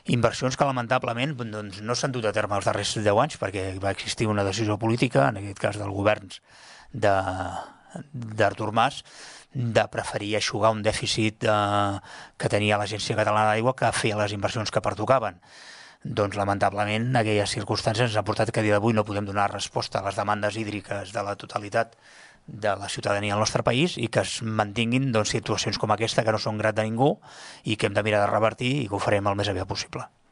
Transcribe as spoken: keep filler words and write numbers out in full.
Inversions que lamentablement doncs, no s'han dut a terme els darrers deu anys perquè va existir una decisió política, en aquest cas del govern d'Artur Mas, de preferir eixugar un dèficit de, que tenia l'Agència Catalana d'Aigua que fer les inversions que pertocaven. Doncs lamentablement aquelles circumstàncies ens han portat que a dia d'avui no podem donar resposta a les demandes hídriques de la totalitat de la ciutadania del nostre país i que es mantinguin doncs, situacions com aquesta que no són grat de ningú i que hem de mirar de revertir i que ho farem el més aviat possible.